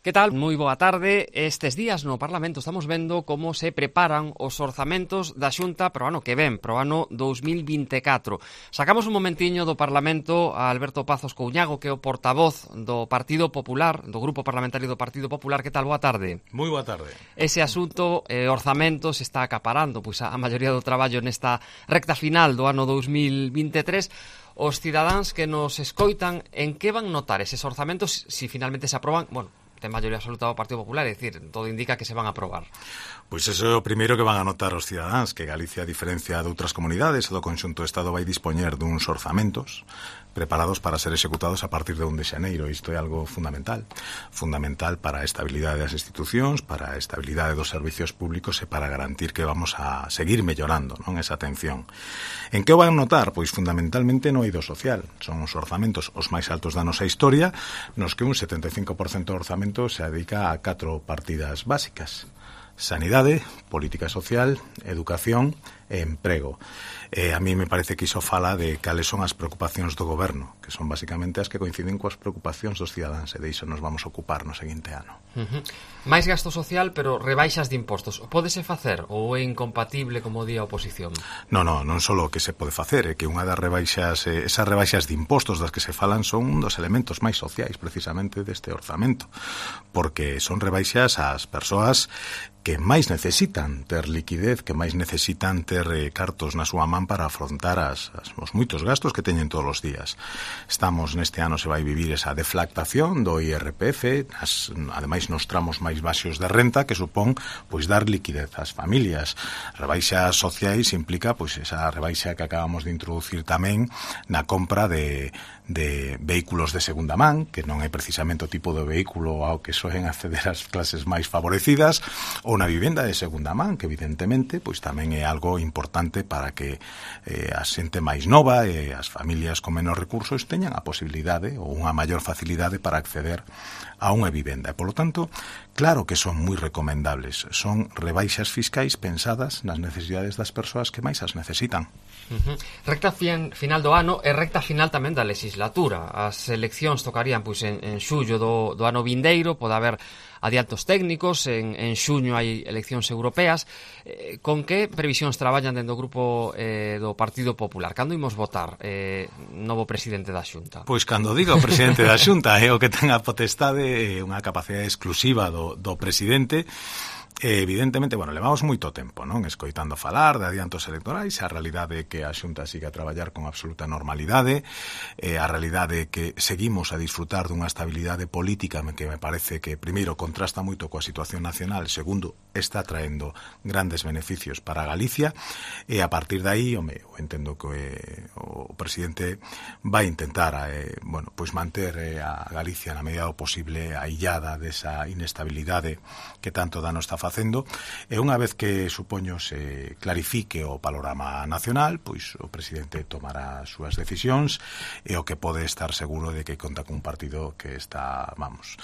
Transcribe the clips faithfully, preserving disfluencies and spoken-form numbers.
Que tal? Moi boa tarde. Estes días no Parlamento estamos vendo como se preparan os orzamentos da Xunta para o ano que ven, para o ano dous mil vinte e catro. Sacamos un momentiño do Parlamento a Alberto Pazos Couñago, que é o portavoz do Partido Popular, do Grupo Parlamentario do Partido Popular. Que tal? Boa tarde. Moi boa tarde. Ese asunto, eh, orzamento, se está acaparando pois a, a maioría do traballo nesta recta final do ano dous mil vinte e tres. Os cidadáns que nos escoitan, en que van notar eses orzamentos se si finalmente se aproban? Bueno, ten maioría absoluta do Partido Popular, é dicir, todo indica que se van a aprobar. Pois iso é o primeiro que van a notar os cidadáns, que Galicia, a diferencia de outras comunidades, do conxunto do Estado vai dispoñer duns orzamentos preparados para ser executados a partir de un de xaneiro. Isto é algo fundamental. Fundamental para a estabilidade das institucións, para a estabilidade dos servicios públicos e para garantir que vamos a seguir mellorando, non, esa atención. En que o van notar? Pois fundamentalmente no eido social. Son os orzamentos os máis altos da nosa historia, nos que un setenta e cinco por cento do orzamento se dedica a catro partidas básicas: sanidade, política social, educación e emprego. Eh, a mí me parece que iso fala de cales son as preocupacións do goberno, que son basicamente as que coinciden coas preocupacións dos cidadáns, e de iso nos vamos a ocupar no seguinte ano. Uh-huh. Mais gasto social, pero rebaixas de impostos. Pódese facer ou é incompatible, como di a oposición? Non, non, non só o que se pode facer, é que unha das rebaixas, eh, esas rebaixas de impostos das que se falan son un dos elementos máis sociais precisamente deste orzamento, porque son rebaixas ás persoas que máis necesitan ter liquidez, que máis necesitan ter eh, cartos na súa man para afrontar as, as, os moitos gastos que teñen todos os días. Estamos, neste ano se vai vivir esa deflactación do I R P F, as, ademais nos tramos máis baixos de renta, que supón pois dar liquidez ás familias. Rebaixas sociais implica pois esa rebaixa que acabamos de introducir tamén na compra de, de vehículos de segunda man, que non é precisamente o tipo de vehículo ao que soen acceder as clases máis favorecidas, ou na vivenda de segunda man, que evidentemente pois tamén é algo importante para que eh, a xente máis nova e as familias con menos recursos teñan a posibilidade ou unha maior facilidade para acceder a unha vivenda. E, polo tanto, claro que son moi recomendables. Son rebaixas fiscais pensadas nas necesidades das persoas que máis as necesitan. Uh-huh. Recta fin, final do ano e recta final tamén da legislatura. As eleccións tocarían pois en, en xullo do, do ano vindeiro, pode haber adiantos técnicos, en, en xuño hai eleccións europeas. Eh, con que previsións traballan dentro do grupo eh, do Partido Popular? Cando imos votar eh, novo presidente da Xunta? Pois cando diga o presidente da Xunta, é o que ten a potestade, unha capacidade exclusiva do, do presidente. E, evidentemente, bueno, levamos moito tempo, non? Escoitando falar de adiantos electorais. A realidade é que a Xunta sigue a traballar con absoluta normalidade, e a realidade é que seguimos a disfrutar dunha estabilidade política que me parece que, primeiro, contrasta moito coa situación nacional, segundo, está traendo grandes beneficios para Galicia, e a partir de aí, home, eu entendo que eh, o presidente vai intentar eh, bueno, pois manter eh, a Galicia na medida do posible aillada desa inestabilidade que tanto dano está facendo, e unha vez que, supoño, se clarifique o panorama nacional, pois o presidente tomará as súas decisións, e o que pode estar seguro de que conta cun partido que está, vamos,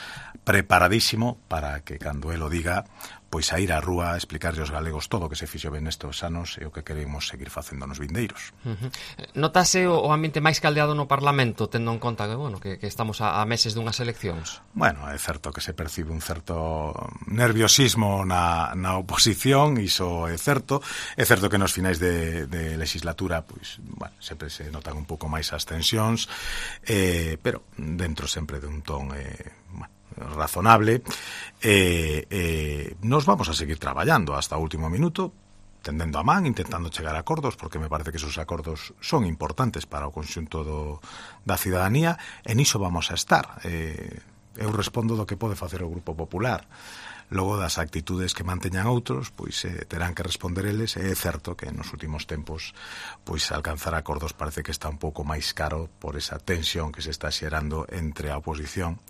preparadísimo para que, cando el o diga, pois a ir á rúa a explicarlle aos galegos todo o que se fixo ben nestes anos e o que queremos seguir facendo nos vindeiros. Uh-huh. Notase o, o ambiente máis caldeado no Parlamento, tendo en conta que, bueno, que, que estamos a, a meses dunhas eleccións? Bueno, é certo que se percibe un certo nerviosismo na, na oposición, iso é certo. É certo que nos finais de, de legislatura, pois, bueno, sempre se notan un pouco máis as tensións, eh, pero dentro sempre de un ton eh, bueno, razonable, e eh, eh, nos vamos a seguir traballando hasta o último minuto, tendendo a man, intentando chegar a acordos, porque me parece que esos acordos son importantes para o conxunto do, da cidadanía, e niso vamos a estar. Eh, eu respondo do que pode facer o Grupo Popular. Logo, das actitudes que manteñan outros, pois eh, terán que responder eles, e é certo que nos últimos tempos pois alcanzar acordos parece que está un pouco máis caro por esa tensión que se está xerando entre a oposición,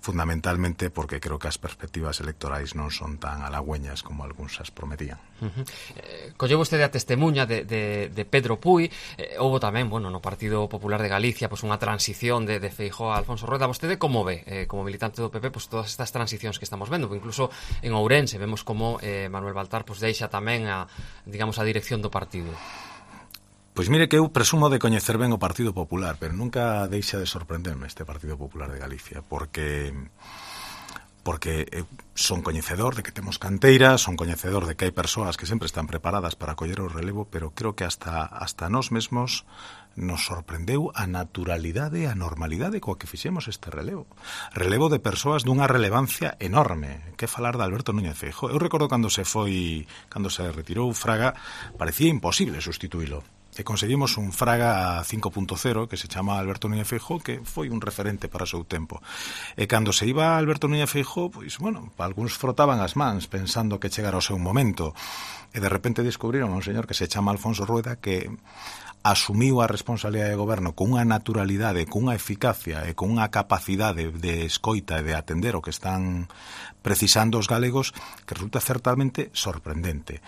fundamentalmente porque creo que as perspectivas electorais non son tan halagüeñas como algúns as prometían. Uh-huh. eh, Colleu vostede a testemunha de, de, de Pedro Puy. eh, Houbo tamén, bueno, no Partido Popular de Galicia pois unha transición de, de Feijóo a Alfonso Rueda. Vostede como ve, eh, como militante do P P, pois todas estas transicións que estamos vendo? Pois incluso en Ourense vemos como eh, Manuel Baltar pois deixa tamén a, digamos, a dirección do partido. Pois mire que eu presumo de coñecer ben o Partido Popular, pero nunca deixa de sorprenderme este Partido Popular de Galicia, porque porque eh, son coñecedor de que temos canteiras, son coñecedor de que hai persoas que sempre están preparadas para coller o relevo, pero creo que hasta hasta nós mesmos nos sorprendeu a naturalidade e a normalidade coa que fixemos este relevo. Relevo de persoas dunha relevancia enorme. Que falar de Alberto Núñez Feijóo. Eu recordo cando se foi, cando se retirou Fraga, parecía imposible sustituílo. E conseguimos un Fraga cinco punto cero que se chama Alberto Núñez Feijóo, que foi un referente para o seu tempo. E cando se iba Alberto Núñez Feijóo, pois, bueno, algúns frotaban as mans pensando que chegara o seu momento. E de repente descubriron a un señor que se chama Alfonso Rueda, que asumiu a responsabilidade de goberno con unha naturalidade, con unha eficacia e con unha capacidade de escoita e de atender o que están precisando os galegos, que resulta certamente sorprendente.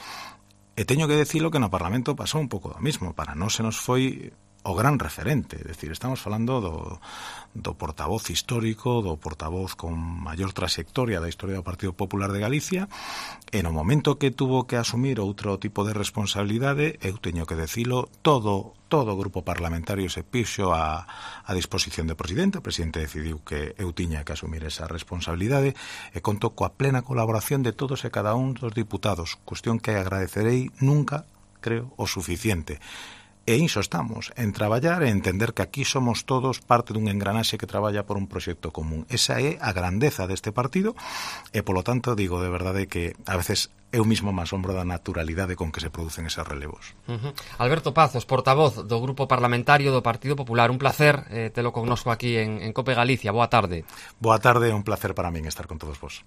E teño que decirlo que no Parlamento pasou un pouco do mismo. Para nós se nos foi o gran referente. É dicir, estamos falando do, do portavoz histórico, do portavoz con maior trayectoria da historia do Partido Popular de Galicia, e no momento que tuvo que asumir outro tipo de responsabilidade, eu teño que decilo, todo todo o grupo parlamentario se pixo a, a disposición do presidente. O presidente decidiu que eu tiña que asumir esa responsabilidade e conto coa plena colaboración de todos e cada un dos diputados, cuestión que agradecerei nunca, creo, o suficiente. E iso estamos, en traballar e entender que aquí somos todos parte dun engranaxe que traballa por un proxecto común. Esa é a grandeza deste partido e, polo tanto, digo de verdade que a veces eu mismo me asombro da naturalidade con que se producen esos relevos. Uh-huh. Alberto Pazos, portavoz do Grupo Parlamentario do Partido Popular. Un placer eh, telo connosco aquí en, en Cope Galicia. Boa tarde. Boa tarde, un placer para min estar con todos vos.